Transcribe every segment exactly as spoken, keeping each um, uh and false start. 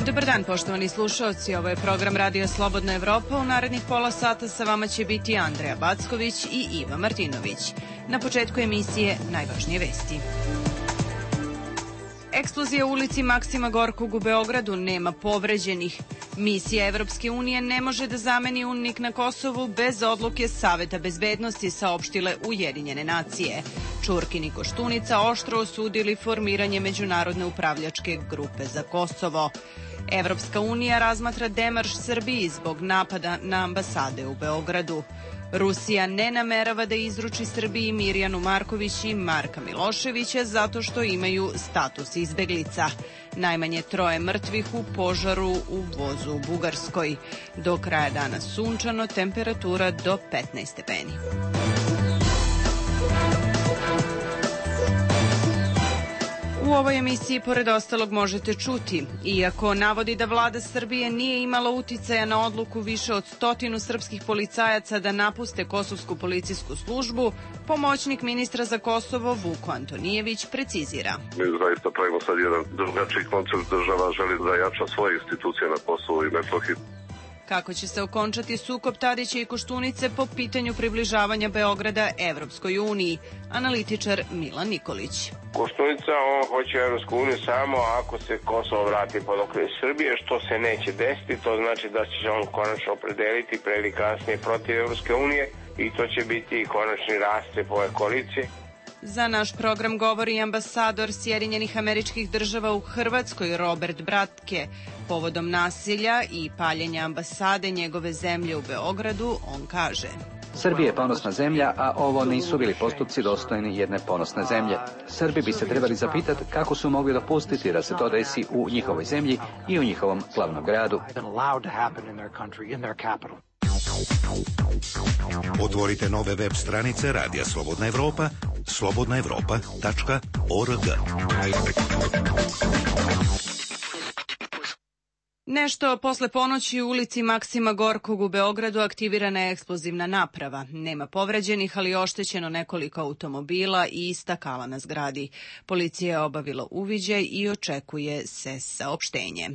Dobar dan, poštovani slušaoci. Ovo je program Radio Slobodna Evropa. U narednih pola sata sa vama će biti Andreja Backović i Iva Martinović. Na početku emisije najvažnije vesti. Eksplozija u ulici Maksima Gorkog u Beogradu, nema povređenih. Misija Evropske unije ne može da zameni UNMIK na Kosovu bez odluke Saveta bezbednosti, saopštile Ujedinjene nacije. Čurkin i Koštunica oštro osudili formiranje međunarodne upravljačke grupe za Kosovo. Evropska unija razmatra demarš Srbiji zbog napada na ambasade u Beogradu. Rusija ne namerava da izruči Srbiji Mirjanu Marković i Marka Miloševića zato što imaju status izbeglica. Najmanje troje mrtvih u požaru u vozu u Bugarskoj. Do kraja dana sunčano, temperatura do petnaest stepeni. U ovoj emisiji, pored ostalog, možete čuti, iako navodi da vlada Srbije nije imala uticaja na odluku više od stotinu srpskih policajaca da napuste kosovsku policijsku službu, pomoćnik ministra za Kosovo Vuko Antonijević precizira. Mi zaista pravimo sad jedan drugačiji koncept, država želi da jača svoje institucije na Kosovu i Metohiji. Kako će se okončati sukob Tadića i Koštunice po pitanju približavanja Beograda Evropskoj uniji, analitičar Milan Nikolić. Koštunica, on hoće Evropsku uniju samo ako se Kosovo vrati pod okrilje Srbije, što se neće desiti, to znači da će on konačno opredeliti pre ili kasnije protiv Evropske unije i to će biti konačni rascep ove koalicije. Za naš program govori ambasador Sjedinjenih Američkih Država u Hrvatskoj Robert Bratke. Povodom nasilja i paljenja ambasade njegove zemlje u Beogradu, on kaže: Srbija je ponosna zemlja, a ovo nisu bili postupci dostojni jedne ponosne zemlje. Srbi bi se trebali zapitati kako su mogli dopustiti da se to desi u njihovoj zemlji i u njihovom glavnom gradu. Otvorite nove web stranice Radija Slobodna Evropa, slobodna evropa tačka org. Nešto posle ponoći u ulici Maksima Gorkog u Beogradu aktivirana je eksplozivna naprava. Nema povređenih, ali je oštećeno nekoliko automobila i stakala na zgradi. Policija je obavila uviđaj i očekuje se saopštenje.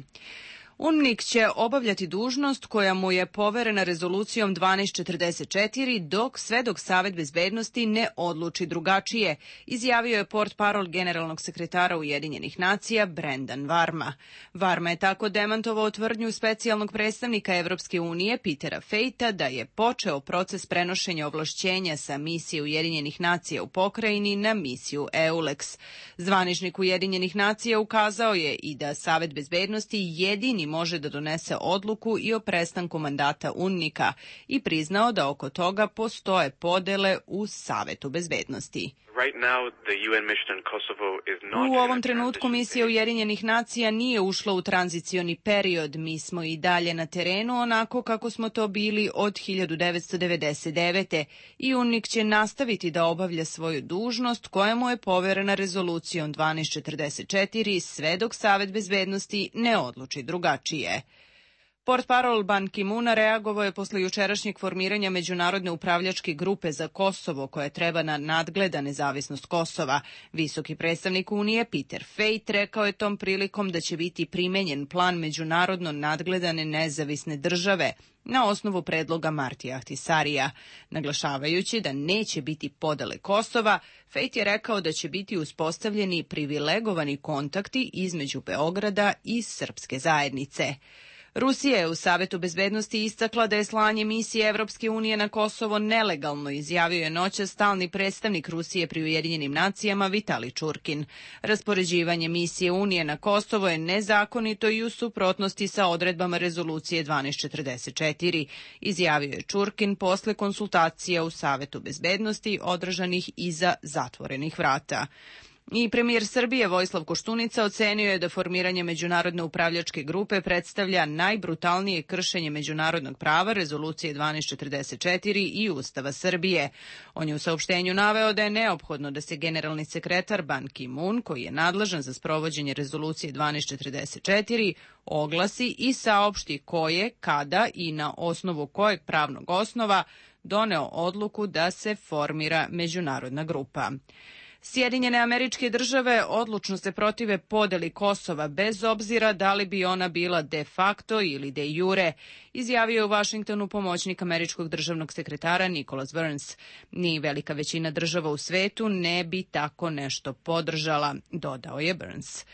UNMIK će obavljati dužnost koja mu je poverena rezolucijom dvanaest četrdeset četiri dok sve dok Savet bezbednosti ne odluči drugačije, izjavio je portparol generalnog sekretara Ujedinjenih nacija Brendan Varma. Varma je tako demantovao tvrdnju specijalnog predstavnika Evropske unije Petera Fejta da je počeo proces prenošenja ovlašćenja sa misije Ujedinjenih nacija u pokrajini na misiju EULEX. Zvaničnik Ujedinjenih nacija ukazao je i da Savet bezbednosti jedini može da donese odluku i o prestanku mandata UNMIK-a i priznao da oko toga postoje podele u Savetu bezbednosti. U ovom trenutku misija Ujedinjenih nacija nije ušla u tranzicioni period. Mi smo i dalje na terenu onako kako smo to bili od hiljadu devetsto devedeset devete. i UNMIK će nastaviti da obavlja svoju dužnost koja mu je poverena rezolucijom dvanaest četrdeset četiri sve dok Savet bezbednosti ne odluči drugačije. Portparol Ban Ki-moona reagovao je posle jučerašnjeg formiranja međunarodne upravljačke grupe za Kosovo koja treba na nadgleda nezavisnost Kosova. Visoki predstavnik Unije Peter Fejt rekao je tom prilikom da će biti primenjen plan međunarodno nadgledane nezavisne države na osnovu predloga Martija Ahtisarija. Naglašavajući da neće biti podele Kosova, Fejt je rekao da će biti uspostavljeni privilegovani kontakti između Beograda i srpske zajednice. Rusija je u Savetu bezbednosti istakla da je slanje misije Evropske unije na Kosovo nelegalno, izjavio je noćas stalni predstavnik Rusije pri Ujedinjenim nacijama Vitali Čurkin. Raspoređivanje misije Unije na Kosovo je nezakonito i u suprotnosti sa odredbama rezolucije dvanaest četrdeset četiri, izjavio je Čurkin posle konsultacija u Savetu bezbednosti održanih iza zatvorenih vrata. I premijer Srbije Vojislav Koštunica ocenio je da formiranje međunarodne upravljačke grupe predstavlja najbrutalnije kršenje međunarodnog prava, rezolucije dvanaest četrdeset četiri i Ustava Srbije. On je u saopštenju naveo da je neophodno da se generalni sekretar Ban Ki-moon, koji je nadležan za sprovođenje rezolucije dvanaest četrdeset četiri, oglasi i saopšti ko je, kada i na osnovu kojeg pravnog osnova doneo odluku da se formira međunarodna grupa. Sjedinjene Američke Države odlučno se protive podeli Kosova bez obzira da li bi ona bila de facto ili de jure, izjavio je u Vašingtonu pomoćnik američkog državnog sekretara Nicholas Burns. Ni velika većina država u svetu ne bi tako nešto podržala, dodao je Burns.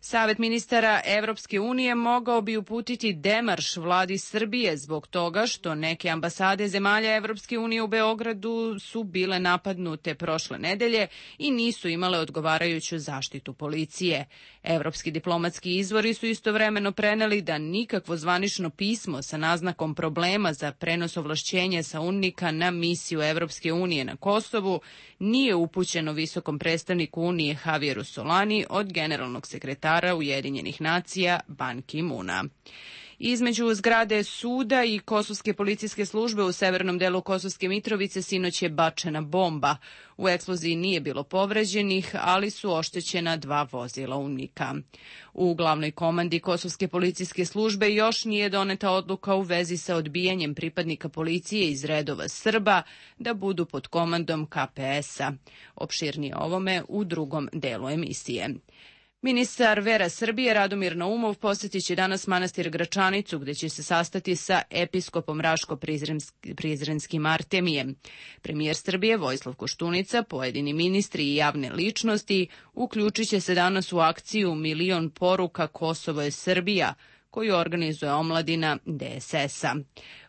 Savet ministara Evropske unije mogao bi uputiti demarš vladi Srbije zbog toga što neke ambasade zemalja Evropske unije u Beogradu su bile napadnute prošle nedelje i nisu imale odgovarajuću zaštitu policije. Evropski diplomatski izvori su istovremeno preneli da nikakvo zvanično pismo sa naznakom problema za prenos ovlašćenja sa UNMIK-a na misiju Evropske unije na Kosovu nije upućeno visokom predstavniku Unije Javieru Solani od generalnog sekretara Ujedinjenih nacija Ban Ki-muna. Između zgrade suda i kosovske policijske službe u severnom delu Kosovske Mitrovice sinoć je bačena bomba. U eksploziji nije bilo povređenih, ali su oštećena dva vozila UNMIK-a. U glavnoj komandi Kosovske policijske službe još nije doneta odluka u vezi sa odbijanjem pripadnika policije iz redova Srba da budu pod komandom K P S-a. Opširnije ovome u drugom delu emisije. Ministar vera Srbije Radomir Naumov posjetit će danas manastir Gračanicu, gde će se sastati sa episkopom Raško-Prizrenskim Artemijem. Premijer Srbije Vojislav Koštunica, pojedini ministri i javne ličnosti uključit će se danas u akciju Milion poruka Kosovo je Srbija, koju organizuje omladina D S S-a.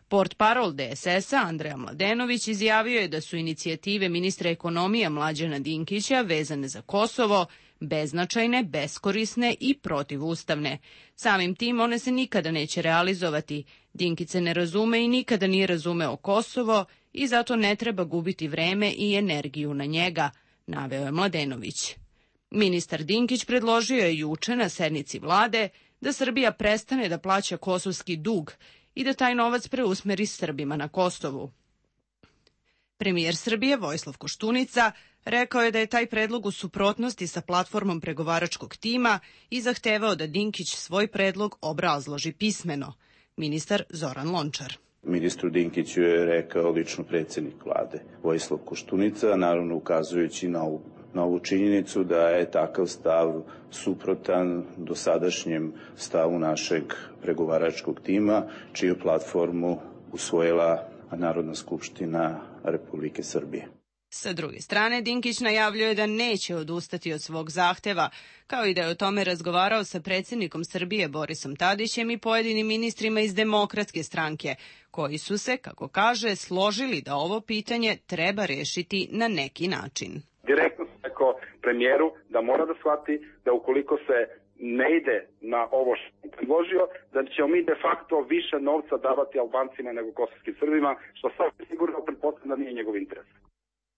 Portparol D S S-a Andreja Mladenović izjavio je da su inicijative ministra ekonomije Mlađana Dinkića vezane za Kosovo beznačajne, beskorisne i protivustavne. Samim tim one se nikada neće realizovati. Dinkić se ne razume i nikada nije razumeo Kosovo i zato ne treba gubiti vreme i energiju na njega, naveo je Mladenović. Ministar Dinkić predložio je juče na sednici vlade da Srbija prestane da plaća kosovski dug i da taj novac preusmeri Srbima na Kosovu. Premijer Srbije Vojislav Koštunica rekao je da je taj predlog u suprotnosti sa platformom pregovaračkog tima i zahtevao da Dinkić svoj predlog obrazloži pismeno. Ministar Zoran Lončar. Ministru Dinkiću je rekao lično predsjednik vlade Vojislav Koštunica, naravno ukazujući na ovu, na ovu činjenicu da je takav stav suprotan dosadašnjem stavu našeg pregovaračkog tima, čiju platformu usvojila Narodna skupština Republike Srbije. Sa druge strane, Dinkić najavljuje da neće odustati od svog zahteva, kao i da je o tome razgovarao sa predsjednikom Srbije Borisom Tadićem i pojedinim ministrima iz Demokratske stranke, koji su se, kako kaže, složili da ovo pitanje treba rešiti na neki način. Direktno sam rekao premijeru da mora da shvati da ukoliko se ne ide na ovo što je predložio, da ćemo mi de facto više novca davati Albancima nego kosovskim Srbima, što sad sigurno pretpostavljam da nije njegov interes.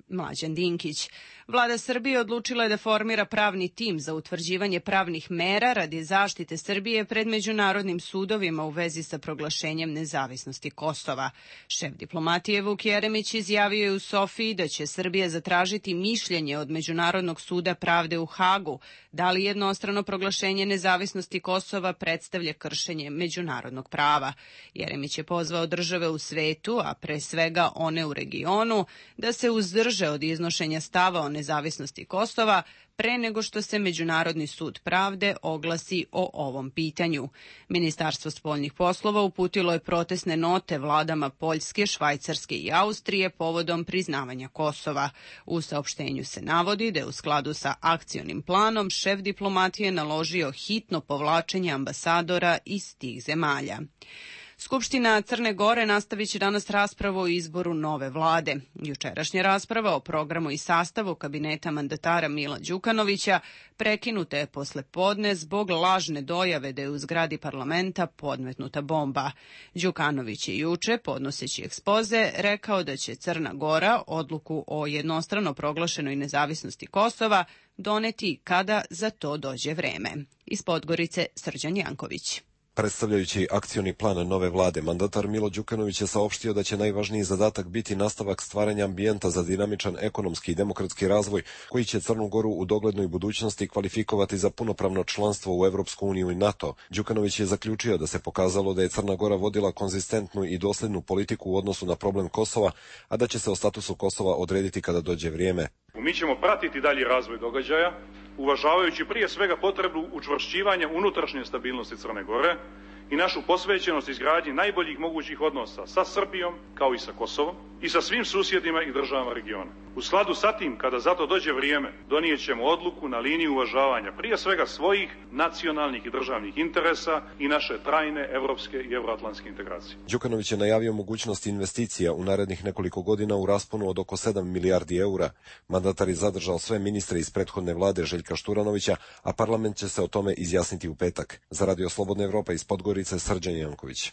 Mlađan Dinkić. Vlada Srbije odlučila je da formira pravni tim za utvrđivanje pravnih mera radi zaštite Srbije pred međunarodnim sudovima u vezi sa proglašenjem nezavisnosti Kosova. Šef diplomatije Vuk Jeremić izjavio je u Sofiji da će Srbija zatražiti mišljenje od Međunarodnog suda pravde u Hagu da li jednostrano proglašenje nezavisnosti Kosova predstavlja kršenje međunarodnog prava. Jeremić je pozvao države u svetu, a pre svega one u regionu, da se uzdrže od iznošenja stava o nezavisnosti Kosova pre nego što se Međunarodni sud pravde oglasi o ovom pitanju. Ministarstvo spoljnih poslova uputilo je protestne note vladama Poljske, Švajcarske i Austrije povodom priznavanja Kosova. U saopštenju se navodi da je u skladu sa akcionim planom šef diplomatije naložio hitno povlačenje ambasadora iz tih zemalja. Skupština Crne Gore nastavit će danas raspravu o izboru nove vlade. Jučerašnja rasprava o programu i sastavu kabineta mandatara Mila Đukanovića prekinuta je posle podne zbog lažne dojave da je u zgradi parlamenta podmetnuta bomba. Đukanović je juče, podnoseći ekspoze, rekao da će Crna Gora odluku o jednostrano proglašenoj nezavisnosti Kosova doneti kada za to dođe vreme. Iz Podgorice Srđan Janković. Predstavljajući akcioni plan nove vlade, mandatar Milo Đukanović je saopštio da će najvažniji zadatak biti nastavak stvaranja ambijenta za dinamičan ekonomski i demokratski razvoj, koji će Crnu Goru u doglednoj budućnosti kvalifikovati za punopravno članstvo u Evropsku uniju i NATO. Đukanović je zaključio da se pokazalo da je Crna Gora vodila konzistentnu i doslednu politiku u odnosu na problem Kosova, a da će se o statusu Kosova odrediti kada dođe vrijeme. Mi ćemo pratiti dalji razvoj događaja, uvažavajući prije svega potrebu učvršćivanja unutrašnje stabilnosti Crne Gore i našu posvećenost izgradnji najboljih mogućih odnosa sa Srbijom, kao i sa Kosovom, i sa svim susjedima i državama regiona. U skladu sa tim, kada za to dođe vrijeme, donijet ćemo odluku na liniji uvažavanja prije svega svojih nacionalnih i državnih interesa i naše trajne evropske i evroatlantske integracije. Đukanović je najavio mogućnost investicija u narednih nekoliko godina u rasponu od oko sedam milijardi eura. Mandatar je zadržao sve ministre iz prethodne vlade Željka Šturanovića, a parlament će se o tome izjasniti u petak. Za Radio Slobodna Evropa iz Podgorice, Srđan Janković.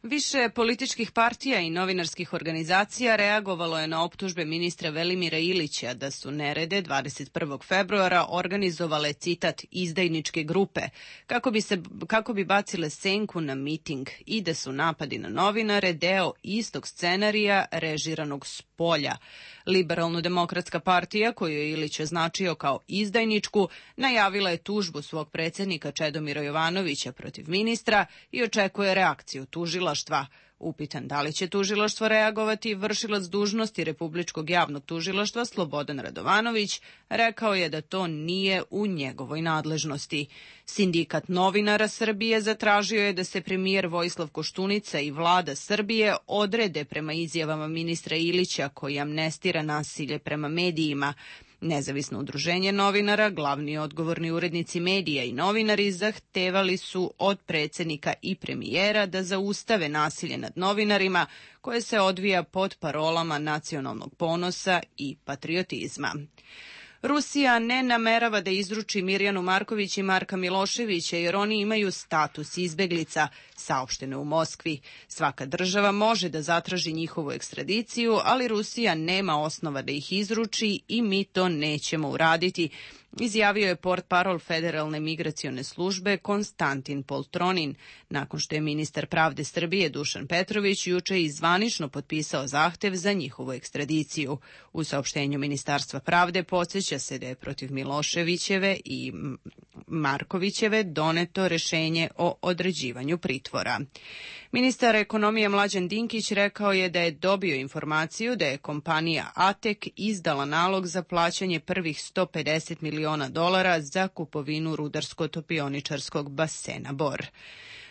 Više političkih partija i novinarskih organizacija reagovalo je na optužbe ministra Velimira Ilića da su nerede dvadeset prvog februara organizovale, citat, izdajničke grupe kako bi, se, kako bi bacile senku na miting i da su napadi na novinare deo istog scenarija režiranog s polja. Liberalno-demokratska partija, koju je Ilić označio kao izdajničku, najavila je tužbu svog predsjednika Čedomira Jovanovića protiv ministra i očekuje reakciju tužilaštva. Upitan da li će tužilaštvo reagovati, vršilac dužnosti Republičkog javnog tužilaštva Slobodan Radovanović rekao je da to nije u njegovoj nadležnosti. Sindikat novinara Srbije zatražio je da se premijer Vojislav Koštunica i vlada Srbije odrede prema izjavama ministra Ilića koji amnestira nasilje prema medijima. Nezavisno udruženje novinara, glavni odgovorni urednici medija i novinari zahtevali su od predsjednika i premijera da zaustave nasilje nad novinarima koje se odvija pod parolama nacionalnog ponosa i patriotizma. Rusija ne namerava da izruči Mirjanu Marković i Marka Miloševića jer oni imaju status izbeglica, saopšteno u Moskvi. Svaka država može da zatraži njihovu ekstradiciju, ali Rusija nema osnova da ih izruči i mi to nećemo uraditi, izjavio je portparol Federalne migracione službe Konstantin Poltronin, nakon što je ministar pravde Srbije Dušan Petrović juče i zvanično potpisao zahtev za njihovu ekstradiciju. U saopštenju Ministarstva pravde podsjeća se da je protiv Miloševićeve i Markovićeve doneto rešenje o određivanju pritvora. Ministar ekonomije Mlađan Dinkić rekao je da je dobio informaciju da je kompanija Atek izdala nalog za plaćanje prvih sto pedeset miliona dolara za kupovinu rudarsko-topioničarskog basena Bor.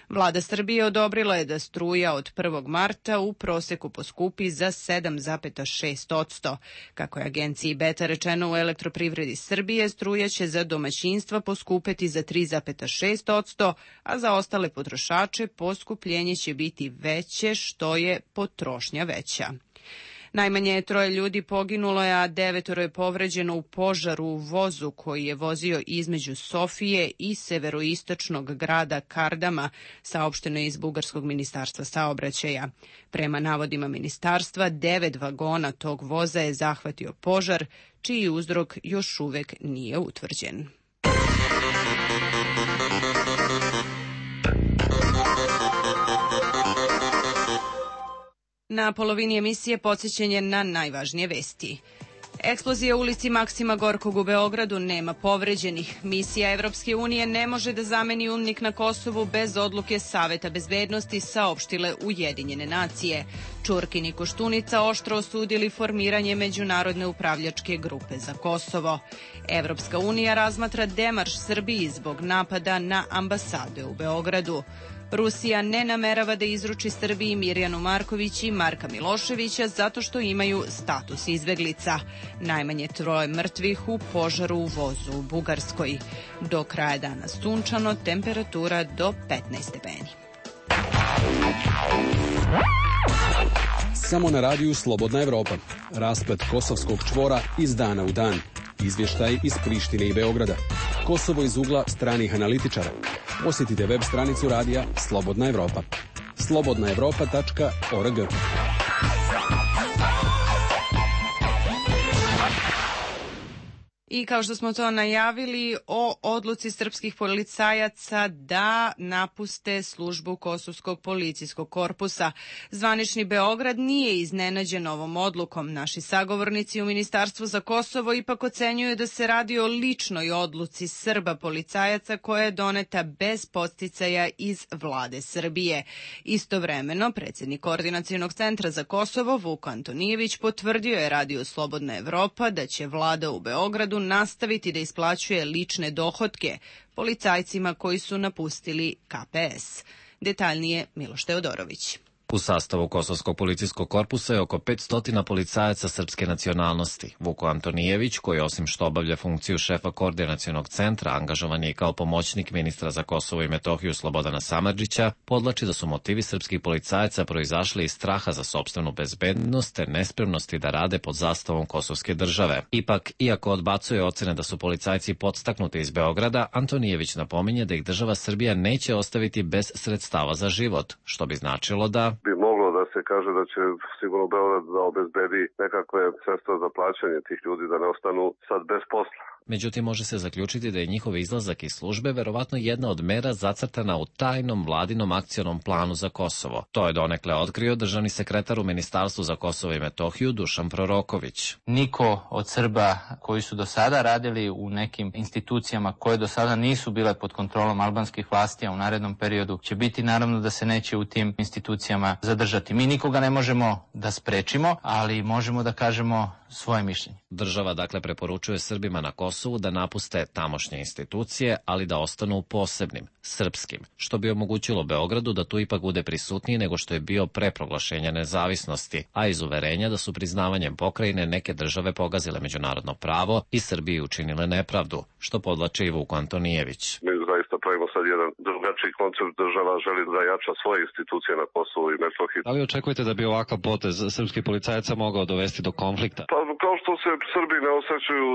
Vlada Srbije odobrila je da struja od prvog marta u proseku poskupi za sedam zarez šest posto. Kako je agenciji Beta rečeno u Elektroprivredi Srbije, struja će za domaćinstva poskupeti za tri zarez šest posto, a za ostale potrošače poskupljenje će biti veće što je potrošnja veća. Najmanje troje ljudi poginulo je, a devetoro je povređeno u požaru u vozu koji je vozio između Sofije i severoistočnog grada Kardama, saopšteno je iz Bugarskog ministarstva saobraćaja. Prema navodima ministarstva, devet vagona tog voza je zahvatio požar, čiji uzrok još uvek nije utvrđen. Na polovini emisije podsjećanje na najvažnije vesti. Eksplozija u ulici Maksima Gorkog u Beogradu, nema povređenih. Misija Evropske unije ne može da zameni UNMIK na Kosovu bez odluke Saveta bezbednosti, saopštile Ujedinjene nacije. Čurkin i Koštunica oštro osudili formiranje međunarodne upravljačke grupe za Kosovo. Evropska unija razmatra demarš Srbiji zbog napada na ambasade u Beogradu. Rusija ne namerava da izruči Srbiji Mirjanu Marković i Marka Miloševića zato što imaju status izbeglica. Najmanje troje mrtvih u požaru u vozu u Bugarskoj. Do kraja dana sunčano, temperatura do petnaest stepeni. Samo na radiju Slobodna Evropa. Rasplet kosovskog čvora iz dana u dan. Izvještaj iz Prištine i Beograda. Kosovo iz ugla stranih analitičara. Posjetite web stranicu radija Slobodna Evropa. slobodna evropa tačka org. I kao što smo to najavili, o odluci srpskih policajaca da napuste službu Kosovskog policijskog korpusa. Zvanični Beograd nije iznenađen ovom odlukom. Naši sagovornici u Ministarstvu za Kosovo ipak ocenjuju da se radi o ličnoj odluci Srba policajaca koja je doneta bez podsticaja iz vlade Srbije. Istovremeno, predsjednik Koordinacionog centra za Kosovo, Vuk Antonijević, potvrdio je Radio Slobodna Evropa da će vlada u Beogradu nastaviti da isplaćuje lične dohotke policajcima koji su napustili K P S. Detaljnije Miloš Teodorović. U sastavu Kosovskog policijskog korpusa je oko petsto policajaca srpske nacionalnosti. Vuko Antonijević, koji osim što obavlja funkciju šefa Koordinacionog centra, angažovan je i kao pomoćnik ministra za Kosovo i Metohiju Slobodana Samardžića, podvlači da su motivi srpskih policajaca proizašli iz straha za sopstvenu bezbednost te nespremnosti da rade pod zastavom kosovske države. Ipak, iako odbacuje ocene da su policajci podstaknuti iz Beograda, Antonijević napominje da ih država Srbija neće ostaviti bez sredstava za život, što bi značilo da bi moglo da se kaže da će sigurno Beograd da obezbedi nekakve sredstva za plaćanje tih ljudi da ne ostanu sad bez posla. Međutim, može se zaključiti da je njihov izlazak iz službe verovatno jedna od mera zacrtana u tajnom vladinom akcionom planu za Kosovo. To je donekle otkrio državni sekretar u Ministarstvu za Kosovo i Metohiju Dušan Proroković. Niko od Srba koji su do sada radili u nekim institucijama koje do sada nisu bile pod kontrolom albanskih vlasti, a u narednom periodu će biti naravno da se neće u tim institucijama zadržati. Mi nikoga ne možemo da sprečimo, ali možemo da kažemo svoje mišljenje. Država dakle preporučuje Srbima na Kosovu da napuste tamošnje institucije, ali da ostanu posebnim, srpskim, što bi omogućilo Beogradu da tu ipak bude prisutniji nego što je bio pre proglašenja nezavisnosti, a iz uverenja da su priznavanjem pokrajine neke države pogazile međunarodno pravo i Srbiji učinile nepravdu, što podlači i Vuk Antonijević. Mi zaista pravimo sad jedan drugačiji koncept, država želi da jača svoje institucije na Kosovu i Metohiji. Da li očekujete da bi ovakav potez srpskih policajaca mogao dovesti do konflikta? Pa kao što se Srbi ne osjećaju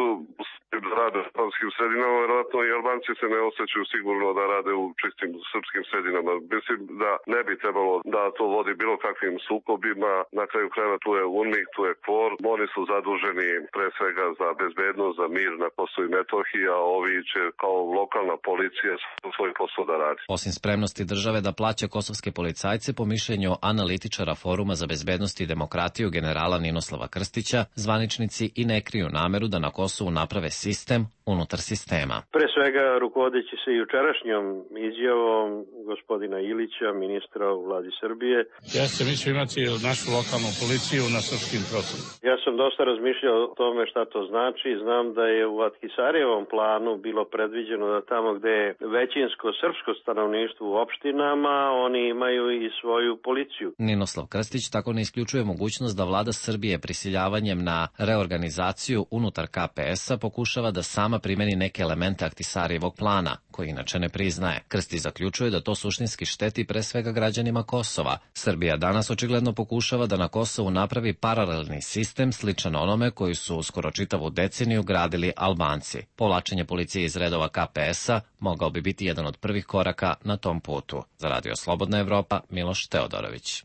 da rade u albanskim sredinama, vjerojatno i Albanci se ne osjećaju sigurno da rade u čistim srpskim sredinama. Mislim da ne bi trebalo da to vodi bilo kakvim sukobima. Na kraju krajeva tu je UNMIK, tu je KFOR. Oni su zaduženi pre svega za bezbednost, za mir na Kosovu i Metohiji, a ovi će kao lokalna policija svoj posao da radi. Osim spremnosti države da plaća kosovske policajce, po mišljenju analitičara Foruma za bezbednost i demokratiju generala Ninoslava Krstića, zvaničnici i ne kriju nameru da na Kosovu naprave sistem unutar sistema. Pre svega rukovodeći se jučerašnjom izjavom gospodina Ilića, ministra u vladi Srbije. Ja sam mislio imati našu lokalnu policiju na srpskim prostorima. Ja sam dosta razmišljao o tome šta to znači. Znam da je u Ahtisarijevom planu bilo predviđeno da tamo gde je većinsko srpsko stanovništvo u opštinama, oni imaju i svoju policiju. Ninoslav Krstić tako ne isključuje mogućnost da vlada Srbije prisiljavanjem na reorganizaciju unutar K P S-a pokušava da sama primeni neke elemente Ahtisarijevog plana, koji inače ne priznaje. Krstić zaključuje da to suštinski šteti pre svega građanima Kosova. Srbija danas očigledno pokušava da na Kosovu napravi paralelni sistem sličan onome koji su skoro čitavu deceniju gradili Albanci. Povlačenje policije iz redova K P S-a mogao bi biti jedan od prvih koraka na tom putu. Za Radio Slobodna Evropa, Miloš Teodorović.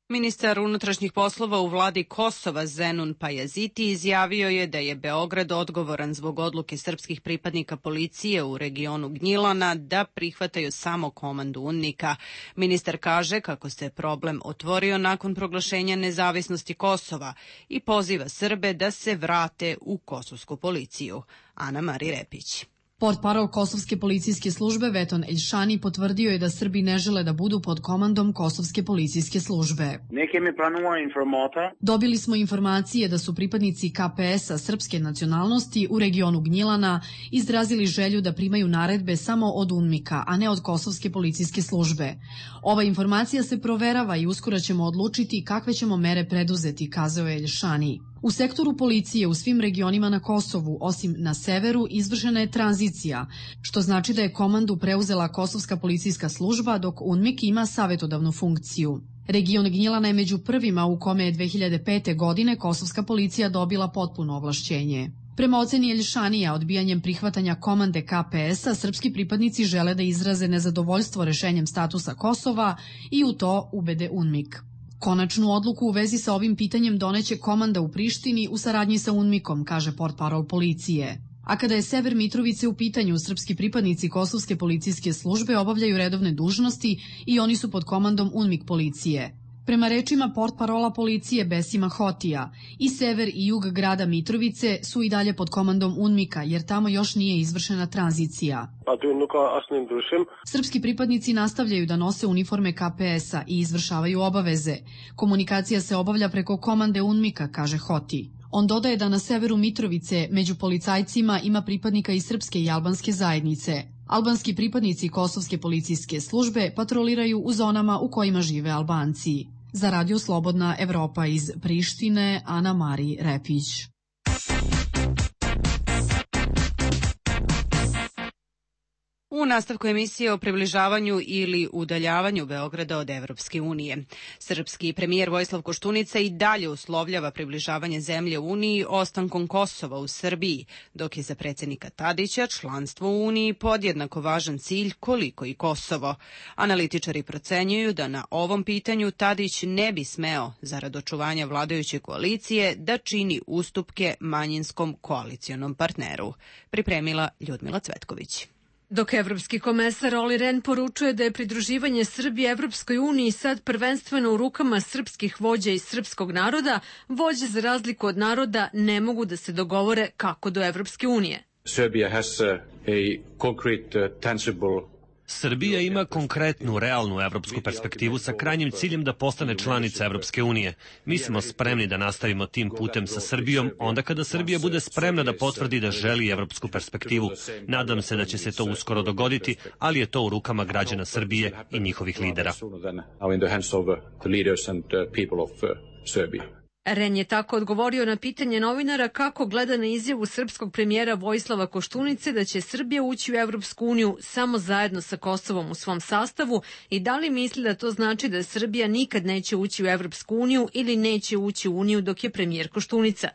Ministar unutrašnjih poslova u vladi Kosova Zenun Pajaziti izjavio je da je Beograd odgovoran zbog odluke srpskih pripadnika policije u regionu Gnjilana da prihvataju samo komandu UNMIK-a. Ministar kaže kako se problem otvorio nakon proglašenja nezavisnosti Kosova i poziva Srbe da se vrate u kosovsku policiju. Ana Mari Repić. Portparol Kosovske policijske službe Veton Eljšani potvrdio je da Srbi ne žele da budu pod komandom Kosovske policijske službe. Dobili smo informacije da su pripadnici K P S-a srpske nacionalnosti u regionu Gnjilana izrazili želju da primaju naredbe samo od UNMIK-a, a ne od Kosovske policijske službe. Ova informacija se proverava i uskoro ćemo odlučiti kakve ćemo mere preduzeti, kazao je Eljšani. U sektoru policije u svim regionima na Kosovu, osim na severu, izvršena je tranzicija, što znači da je komandu preuzela Kosovska policijska služba, dok UNMIK ima savetodavnu funkciju. Region Gnjilana je među prvima u kome je dve hiljade pete. godine Kosovska policija dobila potpuno ovlašćenje. Prema oceni Eljšanija, odbijanjem prihvatanja komande K P S-a, srpski pripadnici žele da izraze nezadovoljstvo rešenjem statusa Kosova i u to ubede UNMIK. Konačnu odluku u vezi sa ovim pitanjem doneće komanda u Prištini u saradnji sa UNMIK-om, kaže portparol policije. A kada je sever Mitrovice u pitanju, srpski pripadnici kosovske policijske službe obavljaju redovne dužnosti i oni su pod komandom UNMIK policije. Prema rečima portparola policije Besima Hotija, i sever i jug grada Mitrovice su i dalje pod komandom UNMIK-a, jer tamo još nije izvršena tranzicija. Srpski pripadnici nastavljaju da nose uniforme K P S-a i izvršavaju obaveze. Komunikacija se obavlja preko komande UNMIK-a, kaže Hoti. On dodaje da na severu Mitrovice među policajcima ima pripadnika iz srpske i albanske zajednice. Albanski pripadnici kosovske policijske službe patroliraju u zonama u kojima žive Albanci. Za Radio Slobodna Evropa iz Prištine, Ana Mari Repić. U nastavku emisije o približavanju ili udaljavanju Beograda od Evropske unije. Srpski premijer Vojislav Koštunica i dalje uslovljava približavanje zemlje Uniji ostankom Kosova u Srbiji, dok je za predsjednika Tadića članstvo u Uniji podjednako važan cilj koliko i Kosovo. Analitičari procenjuju da na ovom pitanju Tadić ne bi smeo, zarad očuvanja vladajuće koalicije, da čini ustupke manjinskom koalicionom partneru. Pripremila Ljudmila Cvetković. Dok evropski komesar Olli Rehn poručuje da je pridruživanje Srbije Evropskoj uniji sad prvenstveno u rukama srpskih vođa i srpskog naroda, vođe za razliku od naroda ne mogu da se dogovore kako do Evropske unije. Serbia has a concrete, tangible Srbija ima konkretnu, realnu evropsku perspektivu sa krajnjim ciljem da postane članica Evropske unije. Mi smo spremni da nastavimo tim putem sa Srbijom, onda kada Srbija bude spremna da potvrdi da želi evropsku perspektivu. Nadam se da će se to uskoro dogoditi, ali je to u rukama građana Srbije i njihovih lidera. Rehn je tako odgovorio na pitanje novinara kako gleda na izjavu srpskog premijera Vojislava Koštunice da će Srbija ući u Evropsku uniju samo zajedno sa Kosovom u svom sastavu i da li misli da to znači da Srbija nikad neće ući u Evropsku uniju ili neće ući u uniju dok je premijer Koštunica.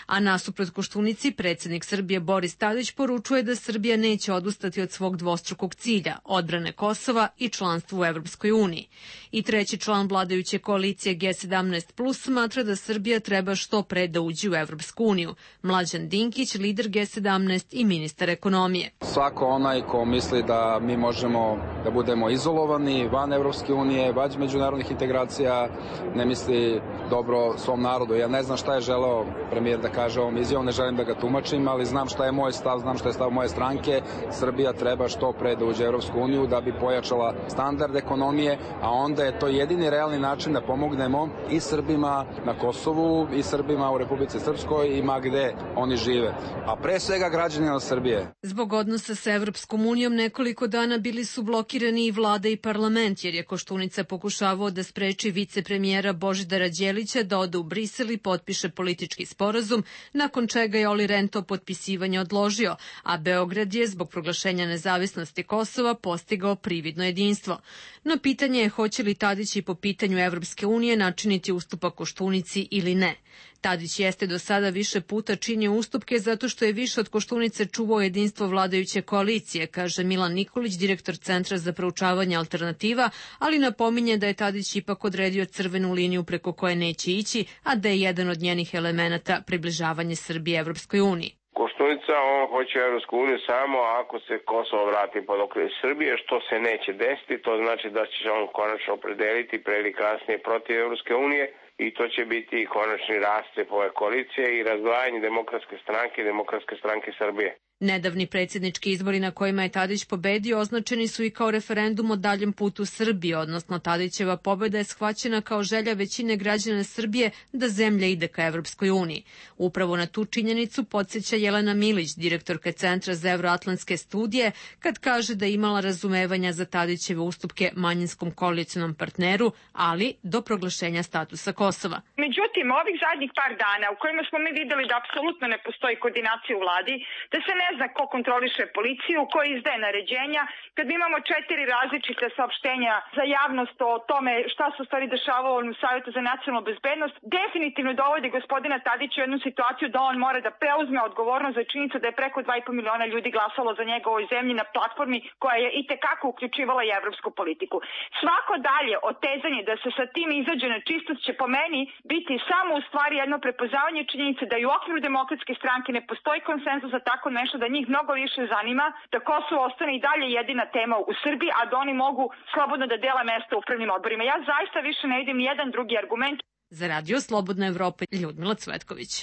A nasuprot Koštunici, predsjednik Srbije Boris Tadić poručuje da Srbija neće odustati od svog dvostrukog cilja, odbrane Kosova i članstva u Evropskoj uniji. I treći član vladajuće koalicije G sedamnaest plus smatra da Srbija treba što pre da uđe u Evropsku uniju. Mlađan Dinkić, lider G sedamnaest i ministar ekonomije. Svako onaj ko misli da mi možemo da budemo izolovani van Evropske unije, van međunarodnih integracija, ne misli dobro svom narodu. Ja ne znam šta je želeo premijer da kaže ovom izjavom, ne želim da ga tumačim, ali znam šta je moj stav, znam šta je stav moje stranke. Srbija treba što pre da uđe u Evropsku uniju da bi pojačala standard ekonomije, a onda je to jedini realni način da pomognemo i Srbima na Kosovu i Srbima u Republici Srpskoj i ma gde oni žive. A pre svega građanima Srbije. Zbog odnosa sa Evropskom unijom nekoliko dana bili su blokirani i vlada i parlament, jer je Koštunica pokušavao da spreči vicepremijera Božidara Đelića da ode u Brisel i potpiše politički sporazum, nakon čega je Olli Rehn to potpisivanje odložio, a Beograd je zbog proglašenja nezavisnosti Kosova postigao prividno jedinstvo. No pitanje je hoće li Tadić i po pitanju Evropske unije načiniti ustupak Koštunici ili ne. Tadić jeste do sada više puta činio ustupke zato što je više od Koštunice čuvao jedinstvo vladajuće koalicije, kaže Milan Nikolić, direktor Centra za proučavanje alternativa, ali napominje da je Tadić ipak odredio crvenu liniju preko koje neće ići, a da je jedan od njenih elemenata približavanje Srbije Evropskoj uniji. Koštunica, on hoće Evropsku uniju samo ako se Kosovo vrati pod okrilje Srbije, što se neće desiti, to znači da će on konačno opredeliti pre ili kasnije protiv Evropske unije i to će biti konačni rascep ove koalicije i razdvajanje Demokratske stranke i Demokratske stranke Srbije. Nedavni predsjednički izbori na kojima je Tadić pobedio označeni su i kao referendum o daljem putu Srbije, odnosno Tadićeva pobeda je shvaćena kao želja većine građana Srbije da zemlja ide ka Evropskoj uniji. Upravo na tu činjenicu podsjeća Jelena Milić, direktorka Centra za evroatlantske studije, kad kaže da je imala razumevanja za Tadićeve ustupke manjinskom koalicionom partneru, ali do proglašenja statusa Kosova. Međutim, ovih zadnjih par dana u kojima smo mi videli da apsolutno ne postoji koordinacija u vladi, da se ne zna ko kontroliše policiju, ko izdaje naređenja, kad mi imamo četiri različite saopštenja za javnost o tome šta se u stvari dešavalo u Savjetu za nacionalnu bezbednost, definitivno dovodi gospodina Tadića u jednu situaciju da on mora da preuzme odgovornost za činjenicu da je preko dva i po miliona ljudi glasalo za njega u ovoj zemlji na platformi koja je i tekako uključivala i evropsku politiku. Svako dalje otezanje da se sa tim izađe na čistost će po meni biti samo u stvari jedno prepoznavanje činjenice da i u okviru demokratske stranke ne postoji konsenzus za tako nešto, da njih mnogo više zanima da Kosovo ostane i dalje jedina tema u Srbiji, a da oni mogu slobodno da dele mesta u upravnim odborima. Ja zaista više ne vidim jedan drugi argument. Za Radio Slobodna Evropa, Ljudmila Cvetković.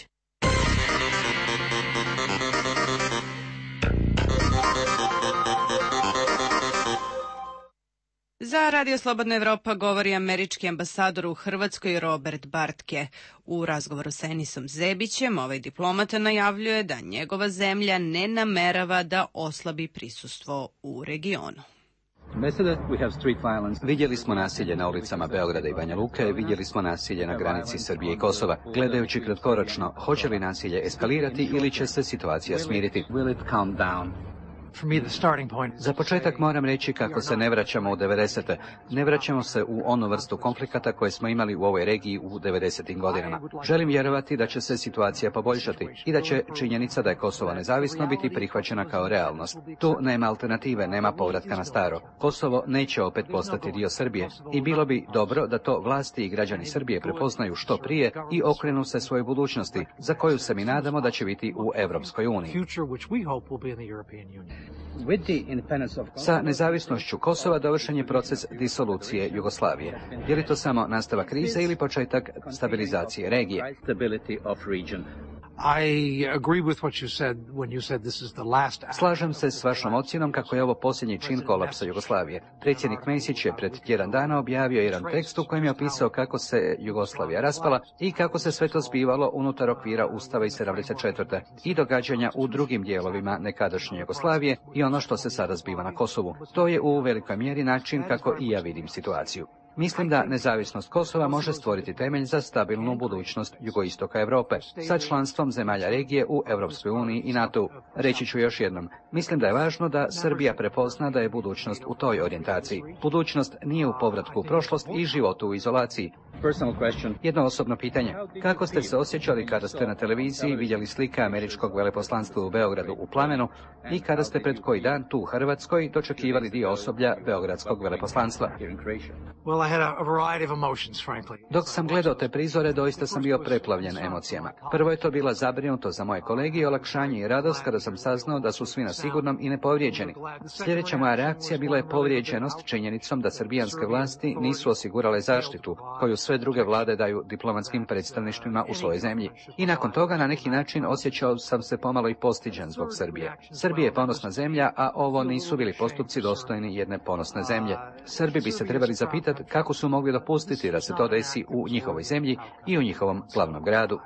Za Radio Slobodna Evropa govori američki ambasador u Hrvatskoj Robert Bartke. U razgovoru sa Enisom Zebićem ovaj diplomata najavljuje da njegova zemlja ne namerava da oslabi prisustvo u regionu. Vidjeli smo nasilje na ulicama Beograda i Banja Luke, vidjeli smo nasilje na granici Srbije i Kosova. Gledajući kratkoročno, hoće li nasilje eskalirati ili će se situacija smiriti? Za početak moram reći kako se ne vraćamo u devedesete. Ne vraćamo se u onu vrstu konflikata koje smo imali u ovoj regiji u devedesetim godinama. Želim vjerovati da će se situacija poboljšati i da će činjenica da je Kosovo nezavisno biti prihvaćena kao realnost. Tu nema alternative, nema povratka na staro. Kosovo neće opet postati dio Srbije i bilo bi dobro da to vlasti i građani Srbije prepoznaju što prije i okrenu se svojoj budućnosti, za koju se mi nadamo da će biti u Evropskoj uniji. Sa nezavisnošću Kosova dovršen je proces disolucije Jugoslavije. Je li to samo nastavak krize ili početak stabilizacije regije? Slažem se s vašom ocjenom kako je ovo posljednji čin kolapsa Jugoslavije. Predsjednik Mesić je pred tjedan dana objavio jedan tekst u kojem je opisao kako se Jugoslavija raspala i kako se sve to zbivalo unutar okvira Ustava iz sedamdeset četvrte i događanja u drugim dijelovima nekadašnje Jugoslavije i ono što se sada zbiva na Kosovu. To je u velikoj mjeri način kako i ja vidim situaciju. Mislim da nezavisnost Kosova može stvoriti temelj za stabilnu budućnost jugoistoka Europe sa članstvom zemalja regije u Europskoj uniji i NATO-u. Reći ću još jednom, mislim da je važno da Srbija prepozna da je budućnost u toj orijentaciji. Budućnost nije u povratku u prošlost i životu u izolaciji. Jedno osobno pitanje. Kako ste se osjećali kada ste na televiziji vidjeli slike američkog veleposlanstva u Beogradu u plamenu i kada ste pred koji dan tu u Hrvatskoj dočekivali dio osoblja beogradskog veleposlanstva? Dok sam gledao te prizore, doista sam bio preplavljen emocijama. Prvo je to bila zabrinutost za moje kolege i olakšanje i radost kada sam saznao da su svi na sigurnom i nepovrijeđeni. Sljedeća moja reakcija bila je povrijeđenost činjenicom da srbijanske vlasti nisu osigurale zaštitu koju sve druge vlade daju diplomatskim predstavništvima u svojoj zemlji. I nakon toga na neki način osjećao sam se pomalo i postiđen zbog Srbije. Srbija je ponosna zemlja, a ovo nisu bili postupci dostojni jedne ponosne zemlje. Srbi bi se trebali zapitati kako su mogli dopustiti da se to desi u njihovoj zemlji i u njihovom glavnom gradu.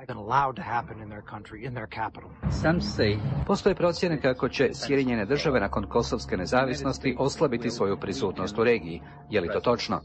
Postoje procjene kako će Sjedinjene države nakon kosovske nezavisnosti oslabiti svoju prisutnost u regiji. Je li to točno?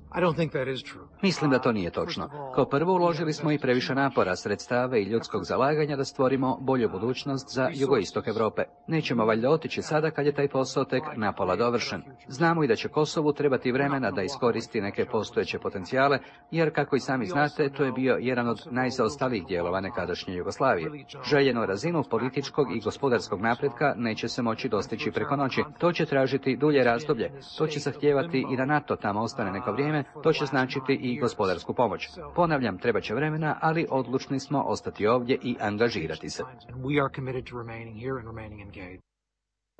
Mislim da to nije točno. Kao prvo uložili smo i previše napora, sredstava i ljudskog zalaganja da stvorimo bolju budućnost za jugoistok Europe. Nećemo valjda otići sada kad je taj posao tek napola dovršen. Znamo i da će Kosovu trebati vremena da iskoristi neke postojeće potencijale, jer kako i sami znate, to je bio jedan od najzaostalijih dijelova nekadašnje Jugoslavije. Željenu razinu političkog i gospodarskog napretka neće se moći dostići preko noći. To će tražiti dulje razdoblje. To će zahtijevati i da NATO tamo ostane neko vrijeme, to će značiti i gospodarsku pomoć. Ponavljam, treba će vremena, ali odlučni smo ostati ovdje i angažirati se.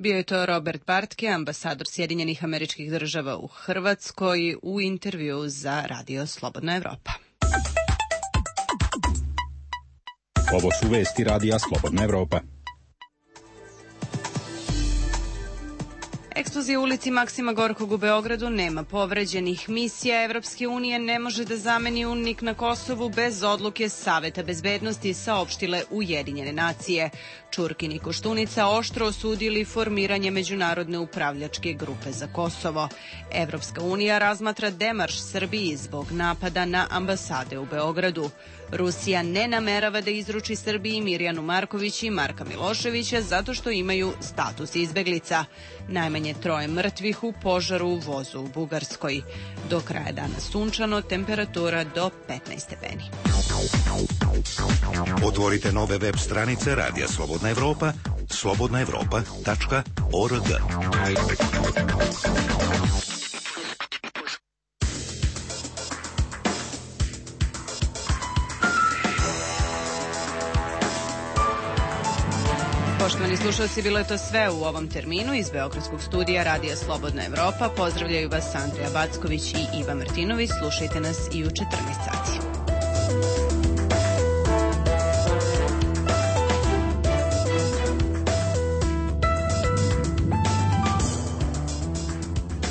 Bio je to Robert Bartke, ambasador Sjedinjenih Američkih Država u Hrvatskoj, u intervju za Radio Slobodna Evropa. Ovo su vesti Radija Slobodna Evropa. Eksplozija u ulici Maksima Gorkog u Beogradu, nema povređenih. Misija Evropske unije ne može da zameni UNMIK na Kosovu bez odluke Saveta bezbednosti, saopštile Ujedinjene nacije. Čurkin i Koštunica oštro osudili formiranje međunarodne upravljačke grupe za Kosovo. Evropska unija razmatra demarš Srbiji zbog napada na ambasade u Beogradu. Rusija ne namerava da izruči Srbiji Mirjanu Marković i Marka Miloševića zato što imaju status izbeglica. Najmanje troje mrtvih u požaru u vozu u Bugarskoj. Do kraja dana sunčano, temperatura do petnaest stepeni. Otvorite nove web stranice Radija Slobodna Evropa, slobodna evropa tačka org. Poštovani slušalci, bilo je to sve u ovom terminu. Iz Beogradskog studija Radija Slobodna Evropa pozdravljaju vas Andrija Backović i Iva Martinović. Slušajte nas i u četrnaest sati.